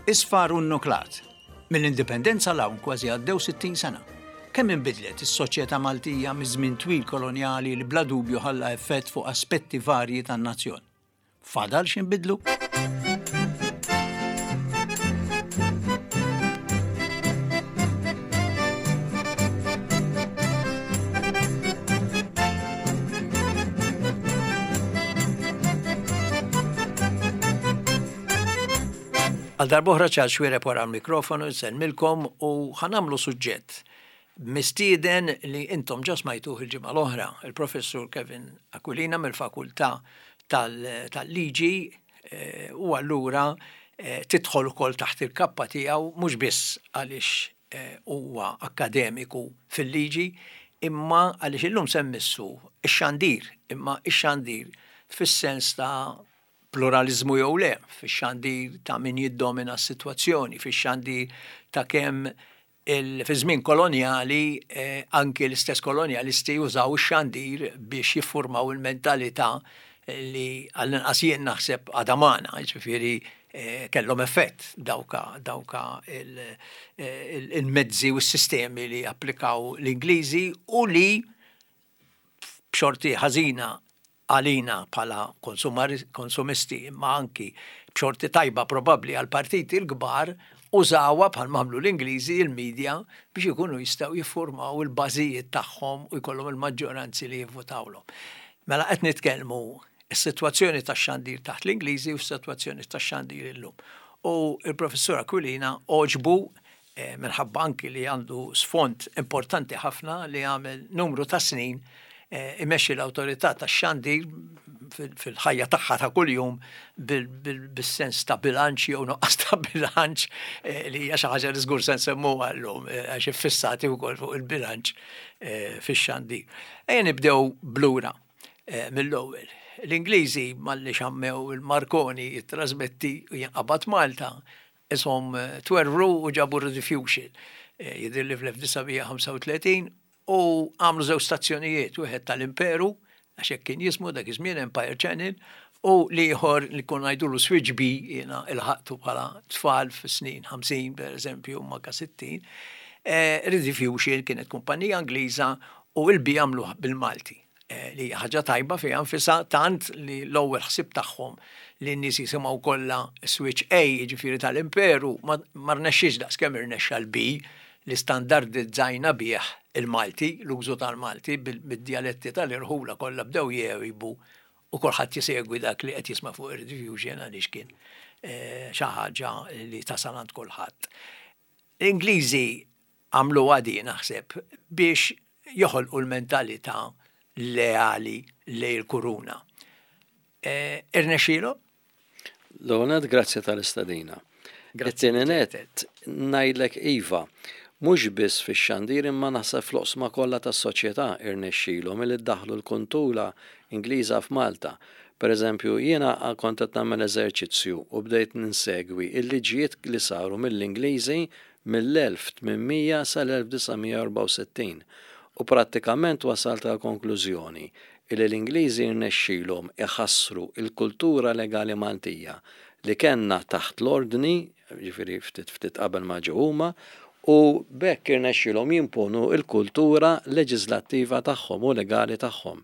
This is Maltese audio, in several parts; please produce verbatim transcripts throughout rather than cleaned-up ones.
Isfar u nnuklat. Mill-indipendenza 'l hawn kważi għaddew sittin sena. Kemm inbidlet is-soċjetà Maltija miż-żmien twil kolonjali li bla dubju ħalla effett fuq aspetti varji tan-nazzjon? Fadal x'inbidlu? Għal darb'oħra Charles Xuereb wara l-mikrofonu nsellmilkom u ħa nagħmlu suġġett mistieden li intom ġa smajtuh il-ġimgħa l-oħra, il-Professur Kevin Aquilina mill-Fakultà tal-Liġi eh, u allura eh, tidħol ukoll taħt il-kappa tiegħu mhux biss għaliex eh, huwa akkademiku fil-liġi, imma għaliex illum se mmissu ix-xandir, imma ix-xandir fis-sens ta' pluralizmu jew le, fix-xandir ta' min jiddomina s-sitwazzjoni, fix-xandir ta' kemm fi żmien kolonjali eh, anki l-istess kolonjalisti użaw ix-xandir biex jiffurmaw il-mentalità li għall-inqas jien naħseb għadha magħna, jiġifieri eh, kellhom effett dawka dawka il-mezzi u s-sistemi li applikaw l-Ingliżi u li b'xorti ħażina għalina bħala konsumisti imma anki b'xorti tajba probabbli għal partiti l-kbar użawha bħal m'għamlu l-Ingliżi il-medja biex ikunu jistgħu jiffurmaw il-bażijiet tagħhom u jkollhom il-maġġoranzi li jivvutawlhom. Mela qed nitkellmu is-sitwazzjoni tax-xandir taħt l-Ingliżi u s-sitwazzjoni tax-xandir illum. U il-Professur Aquilina għoġbu eh, minħabba anki li għandu sfond importanti ħafna li għamel numru ta' snin eh, imexxi l-awtorità tax-xandir fil-ħajja tagħha ta' kuljum bis-sens ta' bilanċ jew nuqqas ta' bilanċ eh, li hija xi ħaġa li żgur se nsemmuha llum għax iffissati wkoll fuq il-bilanċ fix-xandir. Ejja nibdew blura mill-ewwel. L-Ingliżi malli xammew il-Marconi jittrasmetti u jinqabad Malta, ishom twerwru u ġabu Rediffusion. Jidhirli fl-elf disa' mija ħamsa u tletin u għamlu żewġ stazzjonijiet, wieħed tal-Imperu, għax hekk kien jismu dak iż-żmien Empire Channel, u l-ieħor li konna ngħidulu Switch B, jiena ilħaqtu bħala tfal fis-snin ħamsin per eżempju, u manka sittin. Rediffusion kienet kumpanija Ingliża u l-B għamluh bil-Malti, li hija ħaġa tajba fiha nfisha, tant li l-ewwel ħsieb tagħhom li n-nies jisimgħu kollha Switch A, jiġifieri tal-Imperu, ma rnexxiex daqskemm irnexxa l-B li standardizzajna bih il-Malti, l-użu tal-Malti bid-djaletti tal-irħula kollha bdew jgħibu u kulħadd jisegwi dak li qed jisma' fuq ir-Rediffusion għaliex kien xi ħaġa li tasal għand kulħadd. L-Ingliżi għamlu għadi naħseb biex joħolqu l-mentalità leali lejn il-kuruna. Irnexxielu? L-ewwel nett, grazzi tal-istedina. It-tieni nett, ngħidlek iva, mhux biss fix-xandir imma naħseb fl-oqsma kollha tas-soċjetà irnexxielhom milli ddaħħlu l-kultura Ingliża f'Malta. Per eżempju, jiena kont qed nagħmel eżerċizzju u bdejt ninsegwi l-liġijiet li saru mill-Ingliżi mill-elf tmien mija sal-elf disa' mija u erbgħa u sittin u prattikament wasalt għal konklużjoni illi l-Ingliżi rnexxielhom iħassru l-kultura legali Maltija li kellna taħt l-ordni, ġifieri ftit ftit qabel ma ġew huma, u b'hekk irnexxielhom jimponu l-kultura leġislattiva tagħhom u legali tagħhom.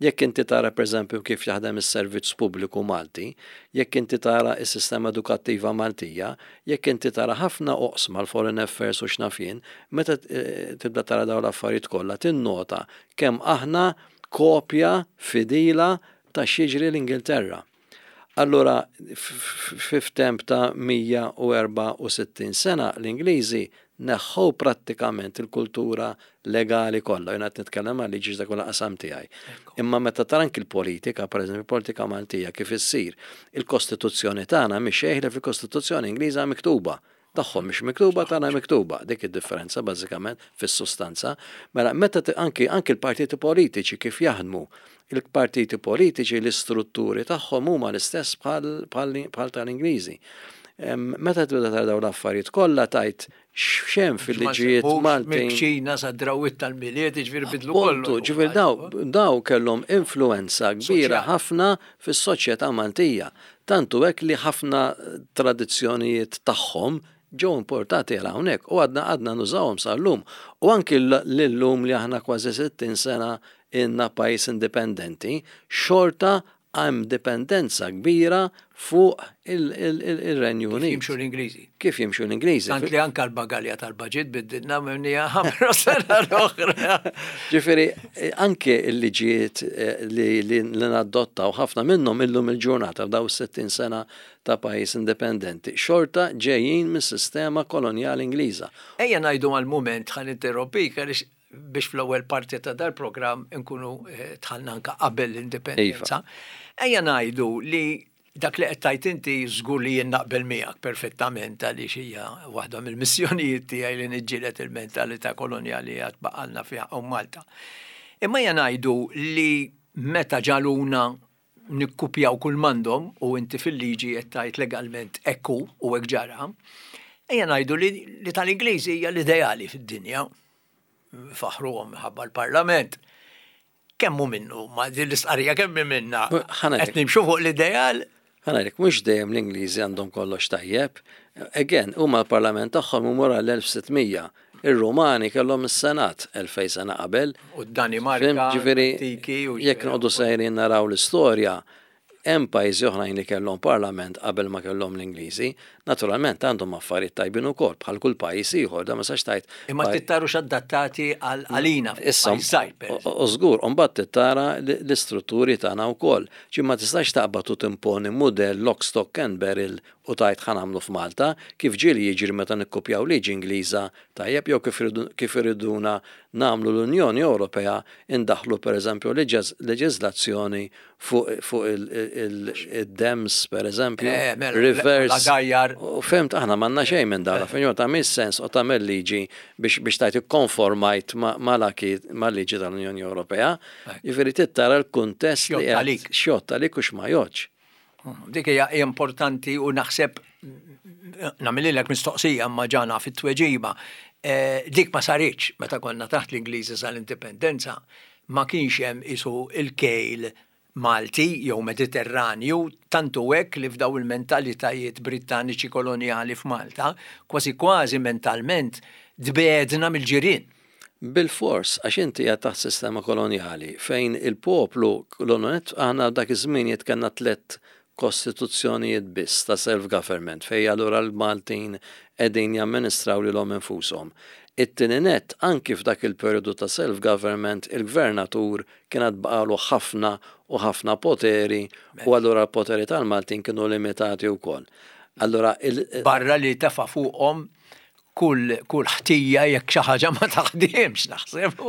Jekk inti tara pereżempju kif jaħdem is-servizz pubbliku Malti, jekk inti tara s-sistema edukattiva Maltija, jekk inti tara ħafna oqsma l-foreign affairs u x'naf jien, meta tibda tara dawn l-affarijiet kollha tinnota kemm aħna kopja fidila ta' x'jiġri l-Ingilterra. Allura, f'temp ta' mija u erbgħa u sittin sena l-Ingliżi neħħow prattikament il-kultura legali kollha. Jiena qed nitkellem għal liġi dak huwa qasam tiegħi. Imma meta tara anki l-politika, pereżempju politika Maltija kif issir, il-Kostituzzjoni tagħna mhix xejn ħlief il-Kostituzzjoni Ingliża miktuba. Tagħhom mhix miktuba, tagħna miktuba. Dik id-differenza bażikament fis-sustanza. Mela meta anki, anki l-partiti politiċi kif jaħdmu, il-partiti politiċi l-istrutturi tagħhom huma l-istess bħal, bħal, bħal tal-Ingliżi. Meta tibda tara dawn l-affarijiet kollha tajt x'hemm fil-liġijiet Maltin. Mill-kċina sa drawwiet tal-Milied, jiġifieri bidlu kollu. Ġifieri daw, daw kellhom influenza kbira ħafna fis-soċjetà Maltija. Tantu hekk li ħafna tradizzjonijiet tagħhom ġew importati għal hawnhekk u għadna għadna nużawhom sal-lum. U anki l-lum li aħna kważi sittin sena ilna pajjiż indipendenti, xorta hemm dipendenza kbira fuq il-Renju Kif Unit. jimxu l-Ingliżi. Kif jimxu l-Ingliżi. Tant li anka l-bagalja tal-budget biddilna mimnija ħamra sena l-oħra. Ġifieri, anke il-liġijiet eh, li, li, li nadottaw, ħafna minnhom illum il-ġurnata f'daw sittin sena ta' pajjiż indipendenti, xorta ġejjin mis-sistema kolonjali Ingliża. Ejja ngħidu għal-moment, ħa ninterrompik, għaliex biex fl-ewwel parti ta' dal-programm nkunu eh, dħalna anka qabel l-indipendenza. Ejja ngħidu li dak li qed tgħid inti żgur li jien naqbel miegħek perfettament, għaliex hija waħda mill-missjonijiet tiegħi li niġġieled il-mentalità kolonjali għad baqalna fiha hawn Malta. Imma ejja ngħidu li meta ġagħluna nikkupjaw kull m'għandhom, u inti fil-liġi qed tgħid legalment ekku u hekk ġara, ejja ngħidu li, li tal-Ingliżi hija l-ideali fid-dinja. Faħruhom minħabba l-Parlament. Kemm hu minnu, ma din l-istqarrija kemm minna? Ħa ngħidlek. Qed nimxu fuq l-ideal? Ħa ngħidlek, mhux dejjem l-Ingliżi għandhom kollox tajjeb. Again, huma l-Parlament tagħhom imur għall-elf u sitt mija. Ir-Rumani kellhom is-Senat elfejn sena qabel. U d-Danimarka, Fhimt, ġifieri, antiki u jekk noqogħdu sejrin naraw l-istorja, hemm pajjiżi oħrajn li kellhom parlament qabel ma kellhom l-Ingliżi. Naturalment għandhom affarijiet tajbin ukoll bħal kull pajjiż ieħor, da ma sax tajt. Imma tittarux adattati għal għalina Issa, pajjiż żgħir, per eżempju. u żgur, u mbagħad tittara l-istrutturi tagħna wkoll. Ġi ma tistax taqbad u timponi mudell lock, stock and barrel u tgħid ħa nagħmlu f'Malta, kif ġieli jiġri meta nikkupjaw liġi Ingliża, tajjeb, jew kif iridu- kif iriduna nagħmlu l-Unjoni Ewropea, indaħlu pereżempju leġiżlazzjoni fuq fuq il-dams pereżempju, Eh, mela, reverse. l-għadajjar. U fhimt, aħna m'għandna xejn minn dara, fejn ta' sens u tagħmel liġi biex biex tgħid ikkonformajt ma' mal-liġi tal-Unjoni Ewropea. Jiġifieri tittara l-kuntest li X'jgħodd qed- għalik. x'jgħodd għalik u x'ma jgħoddx. Dik hija importanti u naħseb nagħmililek mistoqsija ma ġana fit-tweġiba. Eh, Dik ma saritx meta konna taħt l-Ingliżi sal-indipendenza, ma kienx hemm isu il-kejl Malti jew Mediterranju, tantu hekk li f'daw il-mentalitajiet Brittaniċi koloniali f'Malta, kważi kważi mentalment tbegħedna mill-ġirien. Bil-fors, għax inti qed taħt sistema koloniali fejn il-poplu, l-ononet, aħna dak iż-żmien kellna tliet kostituzzjonijiet biss ta' self-government fejn allura l-Maltin qegħdin jamministraw lilhom infushom. It-tieni net, anki f'dak il-periodu ta' self-government, il-gvernatur kien għad baqalu ħafna u ħafna poteri u allura l-poteri tal-Maltin kienu limitati wkoll. Allura il- Barra li tefa' fuqhom kull kull ħtija jekk xi ħaġa ma taħdimx, naħseb.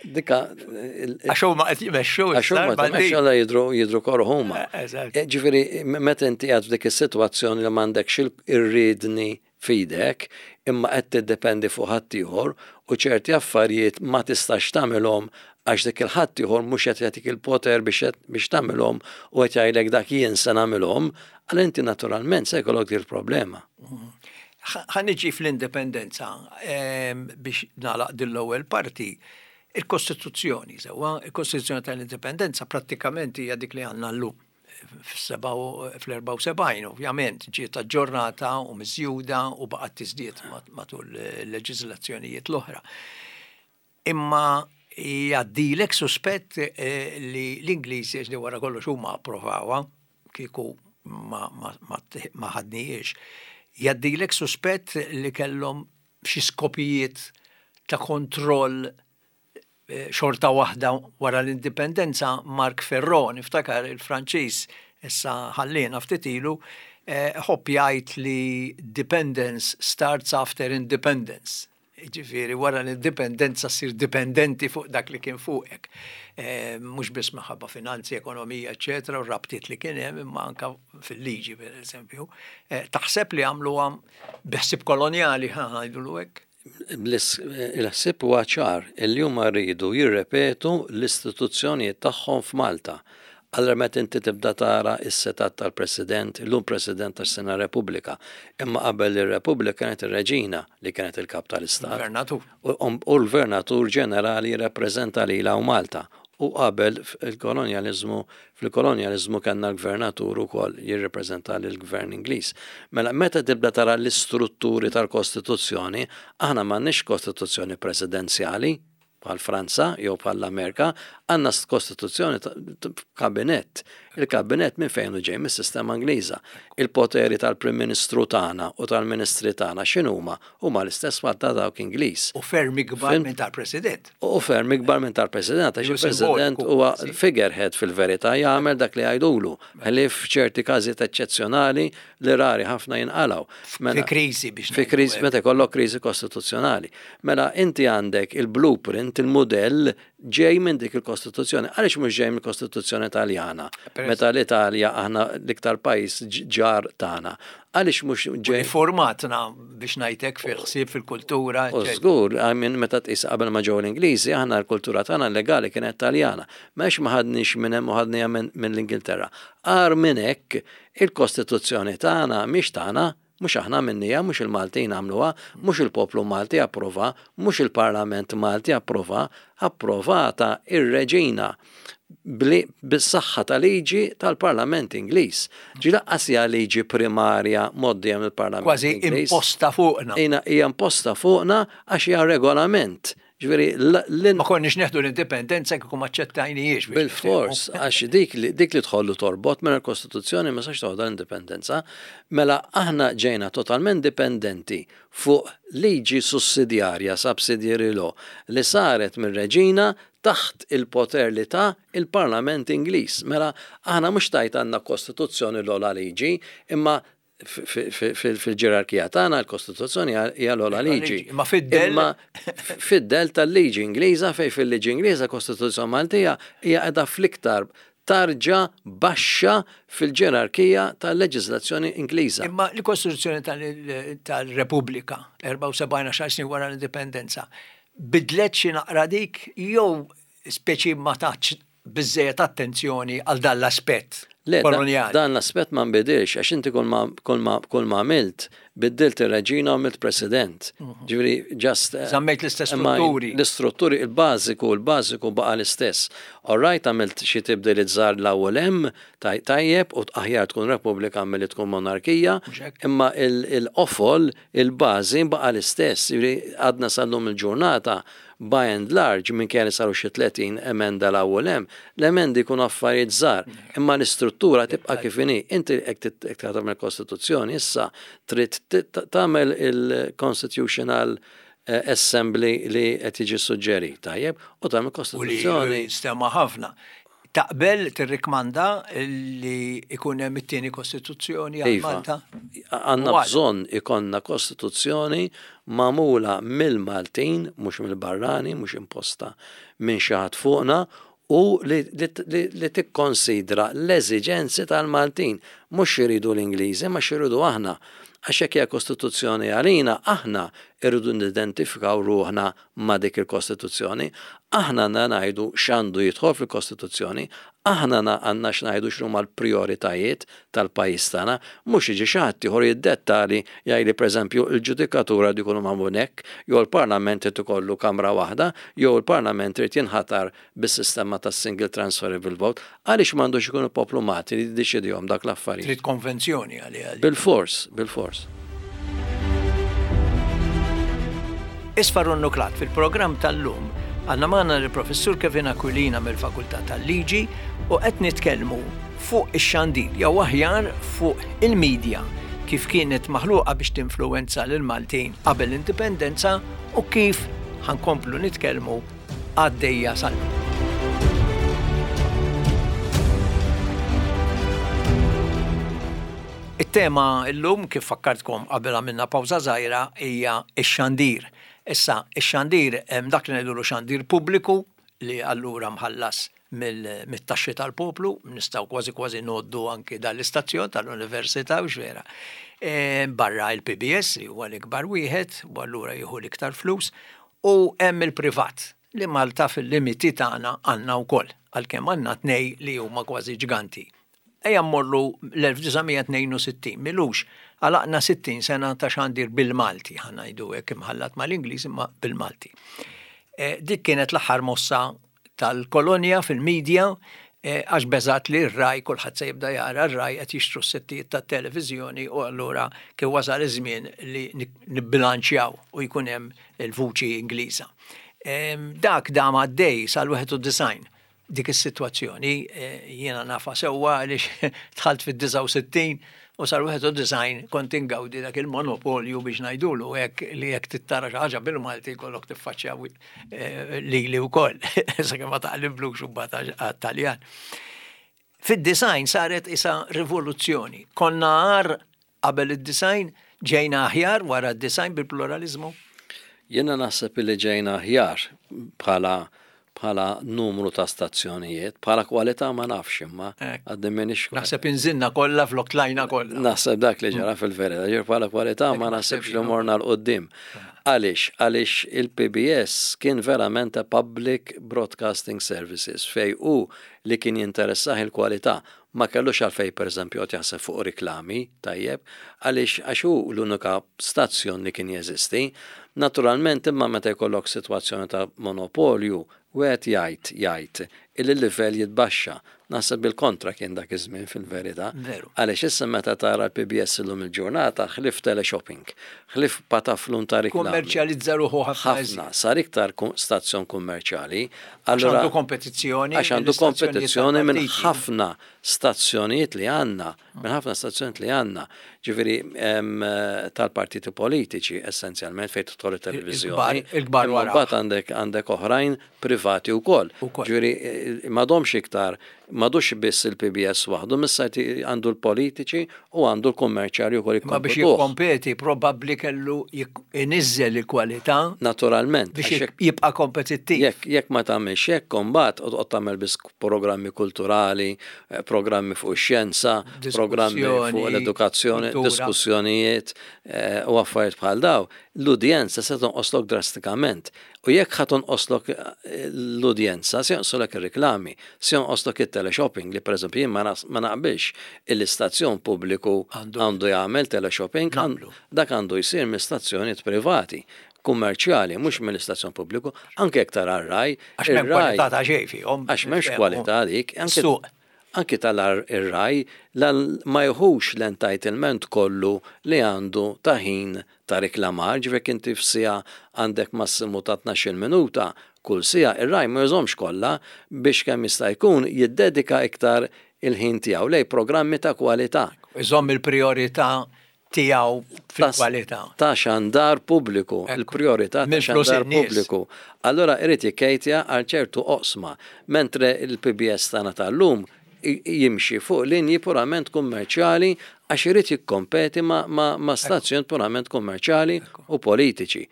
Dika Għax huma qed jmexxu. Għax huma issa. alla jidru jidru kor huma. Eh, eżatt. Eh, Ġifieri, meta inti għad f'dik is-sitwazzjoni li m'għandekx ir-riedni f'idek, imma qed tiddependi fuq ħaddieħor u ċerti affarijiet ma tistax tagħmilhom għax dik il-ħaddieħor mhux qed jagħtik il-poter biex biex tagħmilhom u qed jgħidlek dak jien se nagħmilhom, għal inti naturalment se jkollok dik il-problema. Ħa niġi fl-indipendenza em, biex nagħlaq din l-ewwel parti. Il-Kostituzzjoni, sewwa, il-Kostituzzjoni tal-Indipendenza prattikament hija dik li għandna llum. Fl-erbgħa u sebgħin, ovvjament, ġiet aġġornata u miżjuda u baqgħet tiżdied mat- matul il-leġiżlazzjonijiet l-oħra. Imma jgħaddilek suspett eh, li l-Ingliżi, li wara kollox huma approvawha, kieku ma, ma, ma, ma ħadnijiex, jgħaddilek suspett li kellhom xi skopijiet ta' kontroll eh, xorta waħda wara l-indipendenza? Marc Ferro, niftakar il-Franċiż, issa ħallina ftit ilu, eh, ħobb jgħid li "dependence starts after independence". Ġifieri, wara l-indipendenza ssir dipendenti fuq dak li kien fuqek. Eh, Mhux biss minħabba finanzi, ekonomija, eccetera, u rabtiet li kien hemm, imma anka fil-liġi, per eżempju. Eh, Taħseb li għamluha bi ħsieb kolonjali, ħa ngħidulu hekk? Il-ħsieb huwa ċar illi huma rridu jirrepetu l-istituzzjonijiet tagħhom f'Malta. Allora meta inti tibda tara is-setgħat tal-President, illum President tas-Sena Repubblika, imma qabel ir-Repubblika kienet ir-Reġina li kienet il-kap tal-Istat. Gvernatur. U u l-Gvernatur Ġenerali jirrappreżenta lilha u Malta. U qabel il-kolonjalizmu, fil-kolonjalizmu kellna l-gvernatur ukoll jirrepreżenta lill-gvern Ingliż. Mela meta tibda tara l-istrutturi tal-Kostituzzjoni, aħna m'għandniex kostituzzjoni presidenzjali bħal Franza jew bħal l-Amerika, għandna kostituzzjoni kabinett. Il-kabinett minn fejn ġej? Mis-sistema Ingliża. Il-poteri tal-Prim Ministru tagħna u tal-Ministri tagħna x'inhuma? Huma l-istess bħal ta' dawk Ingliż. U ferm ikbar minn tal-President. U ferm ikbar minn tal-President, għax il-President huwa figurehead fil-verità, jagħmel dak li jgħidulu. Ħlief f'ċerti każijiet eċċezzjonali li rari ħafna jinqalgħu. Fi kriżi biex. Fi kriżi, meta jkollok kriżi kostituzzjonali. Mela inti għandek il-blueprint, il-modell ġej minn dik il-Kostituzzjoni. Għaliex mhux ġej mill-Kostituzzjoni Taljana? Meta l-Italja aħna l-iktar pajjiż ġar tagħna. Għaliex mhux ġej? Formatna biex ngħidlek fil-ħsieb, fil-kultura. U żgur, minn meta tqis qabel ma ġew l-Ingliżi, aħna l-kultura tagħna legali kienet Taljana. M'għax ma ħadniex minn hemm u ħadniha minn l-Ingilterra. Agħar minn hekk, il-Kostituzzjoni tagħna mhix tagħna, mhux aħna minnija, mhux il-Maltin għamluha, mhux il-poplu Malti approva, mhux il-Parlament Malti approva, approvata ir-Reġina bis-saħħa ta' liġi tal-Parlament Ingliż. Ġi lanqas hija liġi primarja mgħoddija mill-Parlament. Kważi imposta fuqna. Hija imposta fuqna għax hija regolament. Ġifieri ma konniex neħdu l-indipendenza kieku ma aċċettajnihiex. Bil-fors, għax dik li dik li tħollu torbot mela l-Kostituzzjoni ma sax toħodha l-indipendenza, mela aħna ġejna totalment dipendenti fuq liġi sussidjarja, subsidiary law, li saret mir-Reġina taħt il-poter li ta' il-Parlament Ingliż. Mela aħna mhux tajt għandna Kostituzzjoni l-ogħla liġi, imma fil-ġerarkija tagħna l-Kostituzzjoni hija l-ogħla liġi. Ma fid-del Imma fid-del tal-liġi Ingliża, fejn fil-liġi Ingliża Kostituzzjoni Maltija hija qiegħda fl-iktar tarġa baxxa fil-ġerarkija tal-leġiżlazzjoni Ingliża. Imma l-Kostituzzjoni tal-Repubblika, erbgħa u sebgħin, għaxar snin wara l-indipendenza, bidlet xi naqra dik jew speċi ma tatx biżejjed attenzjoni għal dan l-aspett Le, koloniali? Dan l-aspett ma nbidilx, għax inti kull ma kull ma kull ma għamilt, biddilt ir-reġina u għamilt president. Ġifieri just Żammejt l-istess imma strutturi. L-istrutturi, il-bażiku, il-bażiku baqa l-istess. All right, għamilt xi tibdiliet żgħar l-ewwel hemm, tajjeb u aħjar tkun repubblika milli tkun monarkija, Mhux hekk? Imma il-qofol, il-bażi baqa l-istess. Ġifieri għadna sal-lum il-ġurnata, by and large, minn kien saru xi tletin emenda l-ewwel hemm, l-emendi jkunu affarijiet żgħar, imma l-istruttura tibqa' kif inhi. Inti hekk tagħmel kostituzzjoni issa trid tagħmel il-Constitutional eh, Assembly li qed jiġi suġġerit, tajjeb, u tagħmel U li kostituzzjoni. Stema ħafna. Taqbel tirrikmanda li ikun hemm it-tieni kostituzzjoni għal Iva, Malta? għandna U għal- bżonn ikollna kostituzzjoni magħmula mill-Maltin, mhux mill-barrani, mhux imposta minn xi ħadd fuqna, u li, li, li, li tikkonsidra l-eżiġenzi tal-Maltin, mhux x'iridu l-Ingliżi, ma x'iridu aħna. Għax hekk hija kostituzzjoni għalina, aħna irridu nidentifikaw ruħna ma' dik il-kostituzzjoni, aħna għandna ngħidu x'għandu jidħol fil-kostituzzjoni, aħna għandna x'ngħidu x'huma l-prijoritajiet tal-pajjiż tagħna, mhux jiġi xi ħadd ieħor jiddettali jgħidli, pereżempju, il-ġudikatura di jkunu magħmul hekk, jew il-Parlament irid ikollu kamra waħda, jew il-Parlament irid jinħatar bis-sistema tas-single transferable vote, għaliex m'għandux ikun il-poplu Malti li jiddeċidihom dak l-affarijiet. Trid konvenzjoni għalija. Bil-fors, bil-fors. Isfar Nuklat fil-programm tal-lum għandna magħna l-professur Kevin Aquilina mill-Fakultà tal-Liġi u qed nitkellmu fuq ix-xandir jew aħjar fuq il-medja kif kienet maħluqa biex tinfluwenza lil Maltin qabel l-indipendenza u kif ħa nkomplu nitkellmu għaddejja sal. It-tema illum, kif fakkartkom qabel għamilna pawża żgħira, hija x-xandir. Issa, ix-xandir hemm dak li ngħidulu xandir pubbliku li allura mħallas mill-taxxi tal-poplu, nistgħu kważi kważi ngħoddu anki dal-istazzjon tal-Università u vera. E, barra il-P B S li huwa l-ikbar wieħed u allura jieħu l-iktar flus u hemm il-privat li Malta fil-limiti tagħna għandna wkoll, għalkemm għandna tnej li huma kważi ġganti. Ejja mmorru l-elf disa' mija tnejn u sittin, m'ilux, għalaqna sittin sena ta' xandir bil-Malti, ħa ngħidu hekk imħallat mal-Ingliż imma bil-Malti. E, dik kienet l-aħħar mossa tal-kolonja fil-medja, għax beżat li r-RAI, kulħadd se jibda jara r-RAI, qed jixtru s-settijiet tat-televiżjoni, u allura kien wasal iż-żmien li nibbilanċjaw u jkun hemm il-vuċi Ingliża. Dak dam għaddej sal-wieħed u disgħin dik is-sitwazzjoni, jiena nafa sewwa għaliex dħalt fid-disgħa u sittin u sal-wieħed u disgħin kont ingawdi dak il-monopolju, biex ngħidulu hekk, li jekk trid tara xi ħaġa bil-Malti kollok tiffaċċja lili wkoll, sakemm ma taqliblux u għat-Taljan. Fid-disgħin saret isa rivoluzzjoni. Konna agħar qabel id-disgħin, ġejna aħjar wara d-disgħin bil-pluralizmu? Jiena naħseb li ġejna aħjar bħala bħala numru ta' stazzjonijiet, bħala kwalità ma nafx, imma għadni m'iniex. Naħseb inżilna kollha flok tlajna kollha. Naħseb dak li ġara fil-verità, ġir bħala kwalità ma naħsebx li morna 'l quddiem. Għaliex? Għaliex il-P B S kien verament a Public Broadcasting Services fej u li kien jinteressah il-kwalità, ma kellux għalfej, per eżempju, qed jaħseb fuq riklami, tajjeb, għaliex għax hu l-unika stazzjon li kien jeżisti. Naturalment, imma meta jkollok sitwazzjoni ta' monopolju, wieħed jgħid jgħid il-livell jitbaxxa. Naħseb bil-kontra kien dak iż-żmien fil-verità. Għaliex issa meta tara l-P B S illum il-ġurnata, ħlief teleshopping, ħlief pataflun ta' reklami. Kummerċjalizza ruħu ħafna. Ħafna, sar iktar stazzjon kummerċjali. Għax għandu kompetizzjoni. Għax għandu kompetizzjoni minn ħafna stazzjonijiet li għandna, minn ħafna stazzjonijiet li għandna. Ġifieri tal-partiti politiċi essenzjalment fejn tidħol it-televiżjoni. Il-kbar wara. Mbagħad għandek għandek oħrajn privati wkoll. Ġifieri m'għadhomx iktar, m'għadux biss il-P B S waħdu, missa għandu l-politiċi u għandu l-kummerċjali wkoll. Ma biex jikkompeti probabbli kellu iniżżel il-kwalità. Naturalment. Biex jibqa' kompetittiv. Jekk jekk ma tagħmilx hekk, imbagħad qed tagħmel biss programmi kulturali, eh, programmi fuq ix-xjenza, programmi fuq l-edukazzjoni, diskussjonijiet eh, u affarijiet bħal daw, l-udjenza se tonqoslok drastikament. U jekk ħa tonqoslok eh, l-udjenza, se jonqoslok ir-reklami, se jonqoslok it-teleshopping, li pereżempju jien ma naqbilx il-istazzjon pubbliku għandu jagħmel teleshopping, dak għandu jsir minn stazzjonijiet privati kummerċjali, mhux mill-istazzjon pubbliku, anke jekk tara r-RAI. Għax m'hemm kwalità ta' xejn fihom. Għax m'hemmx kwalità dik. Anki tal-RAI ma jħux l-entitlement kollu li għandu ta' ħin ta' reklamar, ġifieri inti f'siegħa għandek massimu ta' tnax-il minuta kull siegħa, ir-RAI ma jużahomx kollha biex kemm jista' jkun jiddedika iktar il-ħin tiegħu lej programmi ta' kwalità. Iżomm il-priorità tiegħu fil-kwalità. Ta' xandar pubbliku, il-priorità ta' xandar pubbliku. Allora irid jikkejtja għal ċertu oqsma, mentre il-P B S tagħna tal-lum jimxi fuq linji purament kummerċjali għax irid jikkompeti ma, ma, ma stazzjon purament kummerċjali u politiċi.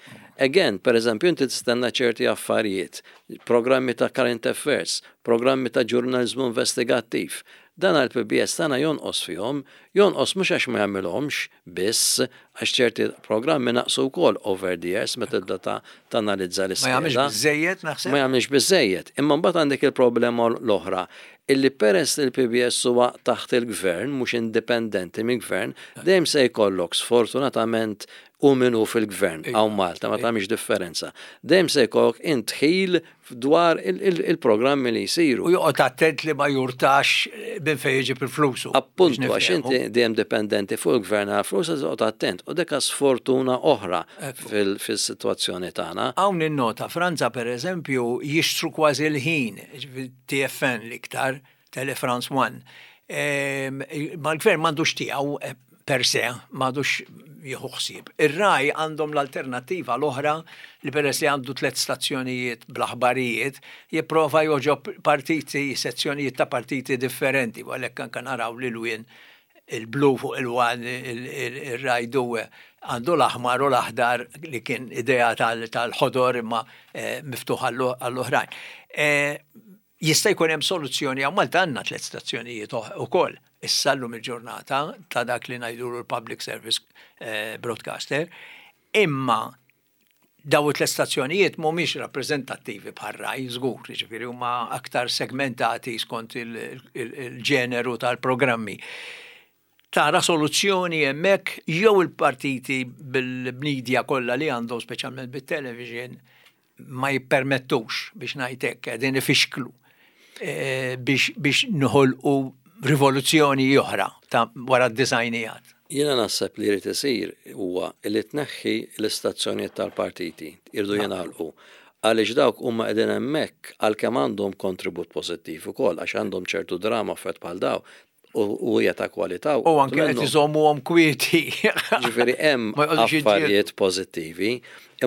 Again, per eżempju, inti tistenna ċerti affarijiet, programmi ta' current affairs, programmi ta' ġurnalizmu investigattiv. Dan għal-P B S tagħna jonqos fihom, jonqos mhux għax ma jagħmilhomx biss, għax ċerti programmi naqsu wkoll over the years meta tibda ta' tanalizza l-iskeda. Ma jagħmilx biżejjed, naħseb. Ma jagħmilx biżejjed. Imma mbagħad għandek il-problema l-oħra illi peress li l-P B S huwa taħt il-gvern, mhux indipendenti mill-gvern, dejjem se jkollok, sfortunatament, u minu fil-gvern hawn Malta ma tagħmilx differenza. Dejjem se jkollok indħil dwar il-programmi li jsiru. U joqgħod attent li ma jurtax minn fejn jiġib il-flusu. Appuntu, għax inti dejjem dipendenti fuq il-gvern għal flus, joqgħod attent. U deka sfortuna oħra fil-sitwazzjoni tagħna. Hawn in-nota, Franza, per eżempju, jixtru kważi l-ħin, T F un l-iktar, Tele France one. Ma l-gvern m'għandux tiegħu eh, per se, m'għandux jieħu ħsieb. Ir-RAI għandhom l-alternativa l-oħra li peress li għandu tliet stazzjonijiet bl-aħbarijiet, jipprova jogħġob partiti, sezzjonijiet ta' partiti differenti, u għalhekk anke naraw li l-wien il-blu fuq il-one, il-RAI due għandu l-aħmar u l-aħdar li kien idea tal-ħodor imma eh, miftuħ għall-oħrajn. Eh, jista' jkun hemm soluzzjoni hawn Malta, għandna tliet stazzjonijiet ukoll issa llum il-ġurnata ta' dak li ngħidu l-Public Service eh, Broadcaster, imma daw it stazzjonijiet mhumiex rappreżentattivi bħar-RAI, żgur, jiġifieri huma aktar segmentati skont il-ġeneru tal-programmi. Tara soluzzjoni hemmhekk jew il-partiti bil-media kollha li għandhom, speċjalment bit-television, ma jippermettux, biex ngħidlek, qegħdin ifixklu eh, biex, biex noħolqu rivoluzzjoni oħra ta' wara d-disgħinijiet. Jiena naħseb li jrid isir huwa li tneħħi l-istazzjonijiet tal-partiti, irdu jingħalqu. Għaliex dawk huma qegħdin hemmhekk, għalkemm għandhom kontribut pożittiv ukoll, għax għandhom ċertu drama fet bħal daw u u hija ta' kwalità. U anke qed iżommuhom kwieti. Ġifieri hemm Ma jqogħdux jiġġieldu. affarijiet pożittivi,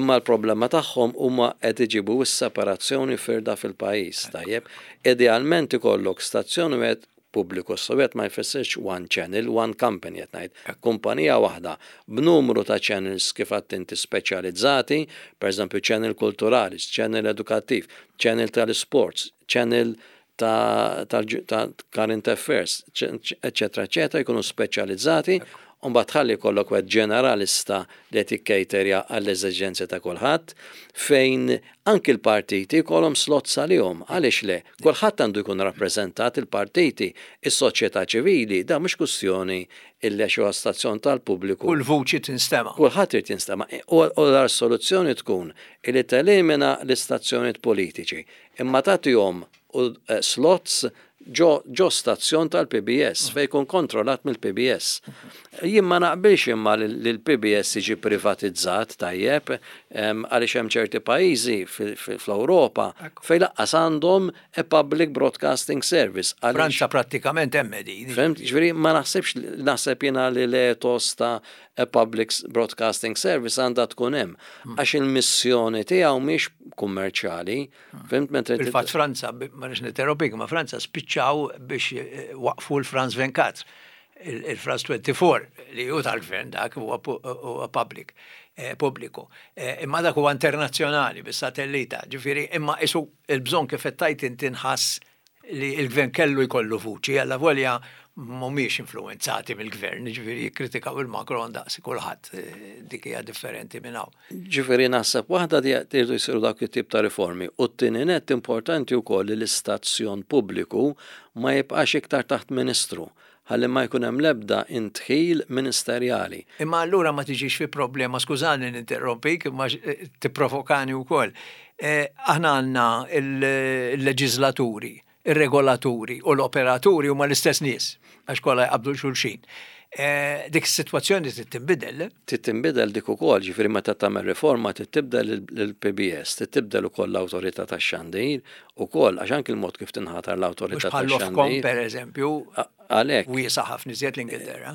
imma l-problema tagħhom huma qed iġibu s-separazzjoni, firda fil-pajjiż, tajjeb. Idealment ikollok stazzjon wieħed pubbliku, sowjet ma jfissirx one channel, one company qed ngħid, kumpanija waħda b'numru ta' channels, kif għedt inti, speċjalizzati, pereżempju channel kulturali, channel edukattiv, channel tal-sports, channel ta' ta' current affairs, eccetera, eccetera, jkunu speċjalizzati, u mbagħad tħalli jkollok wieħed ġeneralista li qed jikkejterja għall-eżiġenzi ta' kulħadd, fejn anki l-partiti jkollhom slots għalihom. Għaliex le? Kulħadd għandu jkun rappreżentat, il-partiti, is-soċjetà ċivili, da mhux kwestjoni illi għax huwa stazzjon tal-pubbliku. Kull vuċi tinstema'. Kulħadd irid jinstema'. U u l-soluzzjoni tkun illi telimina l-istazzjonijiet politiċi, imma tagħtihom u eh, slots ġo, ġo stazzjon tal-P B S fejn jkun kontrollat mill-P B S. Jien ma naqbilx imma li l-P B S jiġi privatizzat, tajjeb, em, għaliex hemm ċerti pajjiżi fl-Ewropa fejn lanqas għandhom a public broadcasting service. Għaliex- Franza prattikament hemm din. Fhimt, ġifieri ma naħsibx, naħseb jiena li l-ethos ta' a public broadcasting service għandha tkun hemm. Għax il-missjoni tiegħu mhix kummerċjali. Fhimt, mentre Fil-fatt Franza, ma nix ninterrompik, ma Franza spiċċaw biex eh, waqfu l-France twenty-four, il- il-France twenty-four li hu tal-gvern, dak huwa pu- huwa public, eh, pubbliku. Eh, Imma dak huwa internazzjonali bis-satellita, ġifieri imma isu il-bżonn, kif qed tgħid inti, nħass li il-gvern kellu jkollu vuċi, alla volja mhumiex influenzati mill-gvern, ġifieri jikkritikaw il-Macron daqs kulħadd, eh, dik hija differenti minn hawn. Ġifieri naħseb waħda di jridu jsiru dak it-tip ta' riformi. U t-tieni net, importanti wkoll li l-istazzjon pubbliku ma jibqax iktar taħt ministru, ħalli ma jkun hemm l-ebda indħil ministerjali. Imma allura ma tiġix fi problema, skużani ninterrompik, imma eh, tipprovokani wkoll. Eh, Aħna għandna il-leġislaturi, ir-regolaturi u l-operaturi huma l-istess nies, għax kollha jqabdu xulxin. Eh, Dik is-sitwazzjoni trid tinbidel. Trid tinbidel dik ukoll, ġifieri meta tagħmel riforma trid tibdel il-P B S, trid tibdel ukoll l-awtorità tax-xandir ukoll, għax anki l-mod kif tinħatar Mhux l-awtorità bħal l-Ofcom tax-xandir. per eżempju, Għalhekk wiesa ħafna iżjed l-Ingilterra.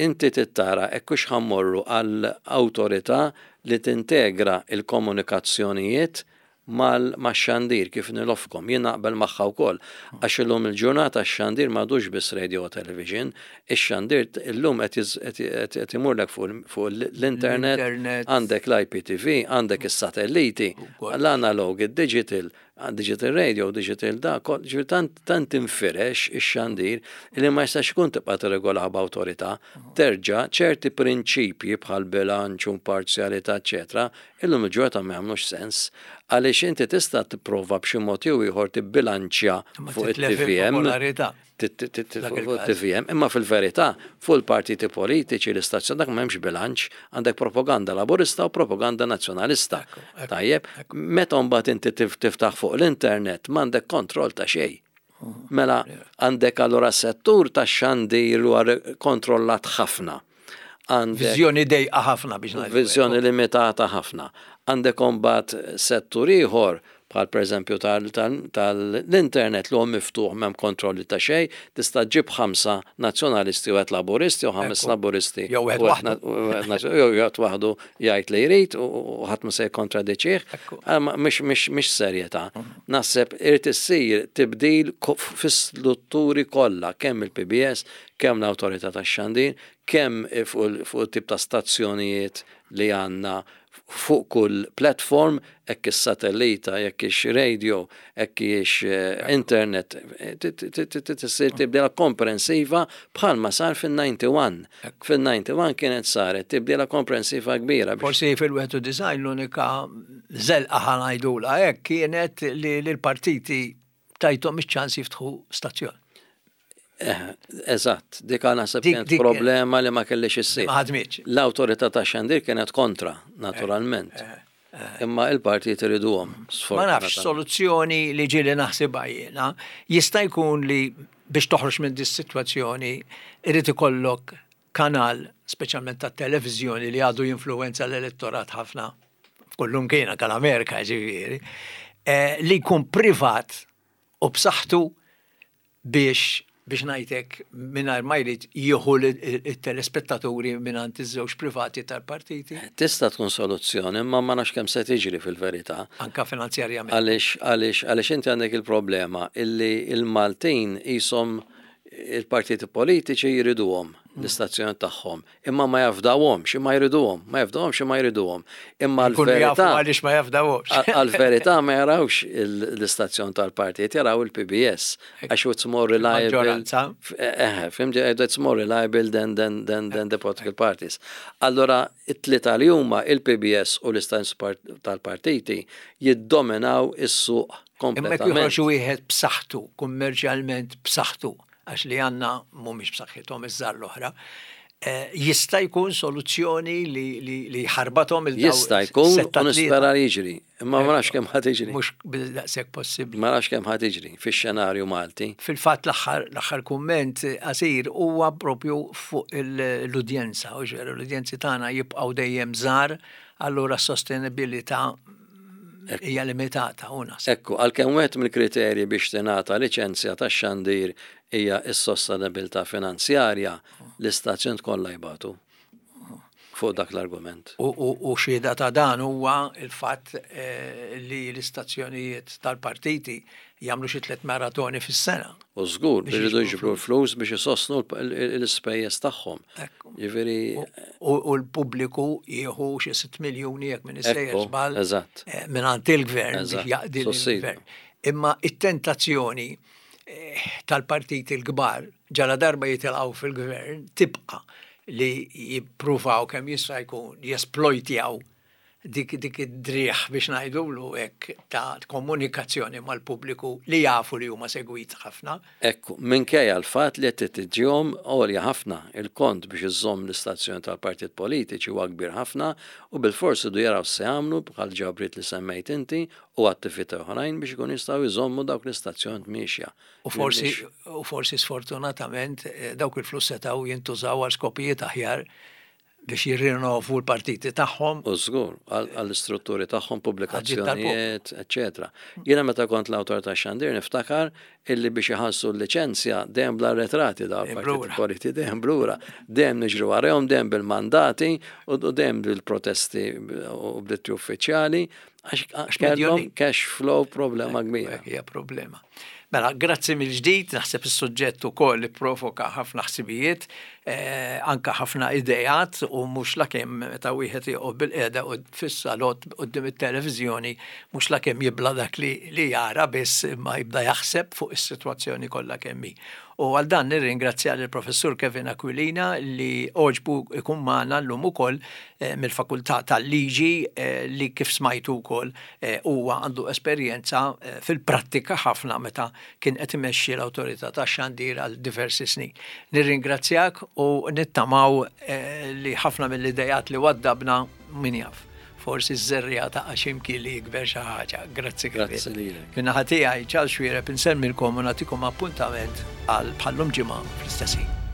Inti tittara hekk hux ħa mmorru għal awtorità li tintegra il-komunikazzjonijiet mal-xandir kif l-Ofcom. Jien naqbel magħha wkoll, għax illum il-ġurnata x-xandir m'għadux biss radio u television, ix-xandir illum qed jiż- qed qed- qed imurlek fuq fuq l-internet, L-internet. għandek l-I P T V, għandek is-satelliti, Ukoll. l-analog, il-digital, digital radio, digital da, kol- ġifieri tant, tant infirex ix-xandir li ma jistax ikun tibqa' tirregola b'awtorità. Terġa' ċerti prinċipji bħal bilanċ, imparzjalità, eċetera, illum il-ġurnata ma jagħmlux sens, għaliex inti tista' tipprova b'xi mod jew ieħor tibbilanċja Ma fuq titlef it-T V M. il-popolarità. Tit- tit- tit- Dak fuq il-każ. T V M, imma fil-verità fuq il-partiti politiċi, l-istazzjon dak m'hemmx bilanċ, għandek propaganda laburista u propaganda nazzjonalista. ekku, Tajjeb, meta mbagħad inti tif- tiftaħ fuq l-internet m'għandek kontroll ta' xejn. Mela għandek allura settur ta' xandir huwa kontrollat ħafna. Għandek Viżjoni dejqa ħafna, biex ngħidu. Viżjoni limitata ħafna. Għandek imbagħad settur ieħor bħal pereżempju tal-internet li huwa miftuħ, m'hemm kontrolli ta' xejn, tista' ġib ħamsa nazzjonalisti u wieħed laburisti u ħames Ekku. laburisti. Jew wieħed u waħdu. na- u wieħed nazz- jew wieħed waħdu jgħid li jrid u u ħadd ma se jikkontradiċih. Ekku. Ah, ma- Mhix mhix mhix serjetà. Naħseb irid issir tibdil ko- fis-strutturi kollha, kemm il-P B S, kemm l-Awtorità tax-Xandir, kemm fuq fuq tip ta' stazzjonijiet li għandna fuq kull platform, hekk is-satellita, jekk ix radio, hekk ix eh, internet, tissir tibdila komprensiva bħalma sar fil-disgħa u disgħin. Fil-disgħa u disgħin kienet saret tibdila komprensiva kbira. biex Forsi fil-wieħed u disgħin l-unika zelqa, ħa ngħidula hekk, kienet li l-partiti tajthom iċ-ċans jiftħu stazzjon. Eh, Eżatt, dik naħseb Dik- kienet dik- problema li ma kellix issir. Ma ħadmitx. L-awtorità ta' xandir kienet kontra, naturalment. Eh, Imma il-partijiet iriduhom. Ma nafx, soluzzjoni li ġieli naħsibha jiena, jista' jkun li biex toħroġ minn dis-sitwazzjoni irid ikollok kanal, speċjalment tat-televiżjoni, li għadu jinfluwenza l-elettorat ħafna f'kullimkien, kal-Amerika ġifieri, eh, li jkun privat u b'saħħtu biex biex ngħidlek mingħajr ma jrid jieħu it-telespettaturi mingħand iż-żewġ privati tal-partiti. Tista' tkun soluzzjoni, imma ma nafx kemm se tiġri fil-verità. Anka finanzjarjament. Għaliex għaliex għaliex inti għandek il-problema illi il-Maltin jisom il-partiti politiċi jriduhom l-istazzjon tagħhom, imma ma jafdawhomx, imma jriduhom, ma jafdawhomx, imma jriduhom. Imma l-verità għaliex ma jafdawhomx. Għal-verità ma jarawx l-istazzjon tal-partit, jaraw il-P B S għax it's more reliable. Eh, fhimt, it's more reliable than, than, than, than the political parties. Allora, it-tlieta li huma il-P B S u l-istazzjon tal-partiti jiddominaw is-suq kompletament. Imma joħroġ wieħed b'saħħtu, kummerċjalment b'saħħtu, għax li għandna mhumiex b'saħħithom iż-żgħar l-oħra, eh, jista' jkun soluzzjoni li, li, li ħarbathom il Jista' jkun u nispera li jiġri, imma ma nafx kemm ħa tiġri. Mhux bil-daqshekk possibbli. Ma nafx kemm ħa tiġri fix-xenarju Malti. Fil-fatt l-aħħar l-aħħar kumment qasir huwa propju fuq l-udjenza, u ġveru l-udjenzi tagħna jibqgħu dejjem żgħar, allura s-sostenibilità hija limitata u naħseb. Ekku, għalkemm wieħed mill-kriterji biex tingħata liċenzja tax-xandir hija s-sostenibilità finanzjarja, l-istazzjon kollha jbatu fuq dak l-argument. U, u, u xhieda ta' dan huwa il-fatt eh, li l-istazzjonijiet tal-partiti jagħmlu xi tliet maratoni fis-sena. U żgur biex iridu jiġbru l-flus biex isostnu l-ispejjeż tagħhom. Ġifieri U u l-pubbliku jieħu xi sitt miljuni, jekk minn sejjer Ekku, żball eżatt. eh, mingħand il-gvern biex Eżatt, jaqdi sussidju. l-gvern. Imma it-tentazzjoni eh, tal-partiti l-kbar ġala darba jitilgħu fil-gvern tibqa' li jippruvaw kemm jista' jkun jesplojtjaw dik dik id-driħ, biex ngħidulu hekk, ta' komunikazzjoni mal-pubbliku li jafu li huma segwit ħafna. Ekku, minkejja l-fatt li qed tiġihom għolja ħafna, il-kont biex iżomm l-istazzjon tal-partit politiċi huwa kbir ħafna u bil-fors idu jaraw se jagħmlu bħal ġabriet li semmejt inti u attività oħrajn biex ikun jistgħu jżommu dawk l-istazzjon miexja. U forsi, u forsi sfortunatament eh, dawk il-flus setgħu jintużaw għal skopijiet aħjar biex jirrinnovu l-partiti tagħhom. U żgur, għall-istrutturi tagħhom, pubblikazzjonijiet, eċetera. Jiena meta kont l-Awtorità Xandir niftakar illi biex iħallsu l-liċenzja dejjem bla retrati dawn Dejjem il-partiti blura. politiċi, dejjem blura, dejjem niġru warahom, dejjem bil-mandati u u dejjem bil-protesti u bl-ittri uffiċjali għax kellhom medjoni. cash flow problema kbira. Hekk hija problema. Mela, grazzi mill-ġdid, naħseb is-suġġett ukoll li provoka ħafna ħsibijiet, eh, anka ħafna idejat, u mhux lakemm meta wieħed joqgħod bil-qiegħda u fis-salott quddiem it-televiżjoni mhux lakemm jibla dak li, li jara biss, imma jibda jaħseb fuq is-sitwazzjoni kollha kemm hi. U għal dan nirringrazzja lill-Professur Kevin Aquilina li għoġbu ikun magħna llum ukoll eh, mill-Fakultà tal-Liġi eh, li kif smajtu wkoll eh, huwa għandu esperjenza eh, fil-prattika ħafna meta kien qed imexxi l-Awtorità tax-Xandir għal diversi snin. Nirringrazzjak u nittamaw eh, li ħafna mill-idejat li waddabna, min jaf, forsi ż-żerriegħa ta' x'imkien li jikber xi ħaġa. Grazzi. Grazzi lilek. Min-naħa tiegħi Charles Xuereb insellmilkom u nagħtikom appuntament għal bħallum ġimgħa fl-istess ħin.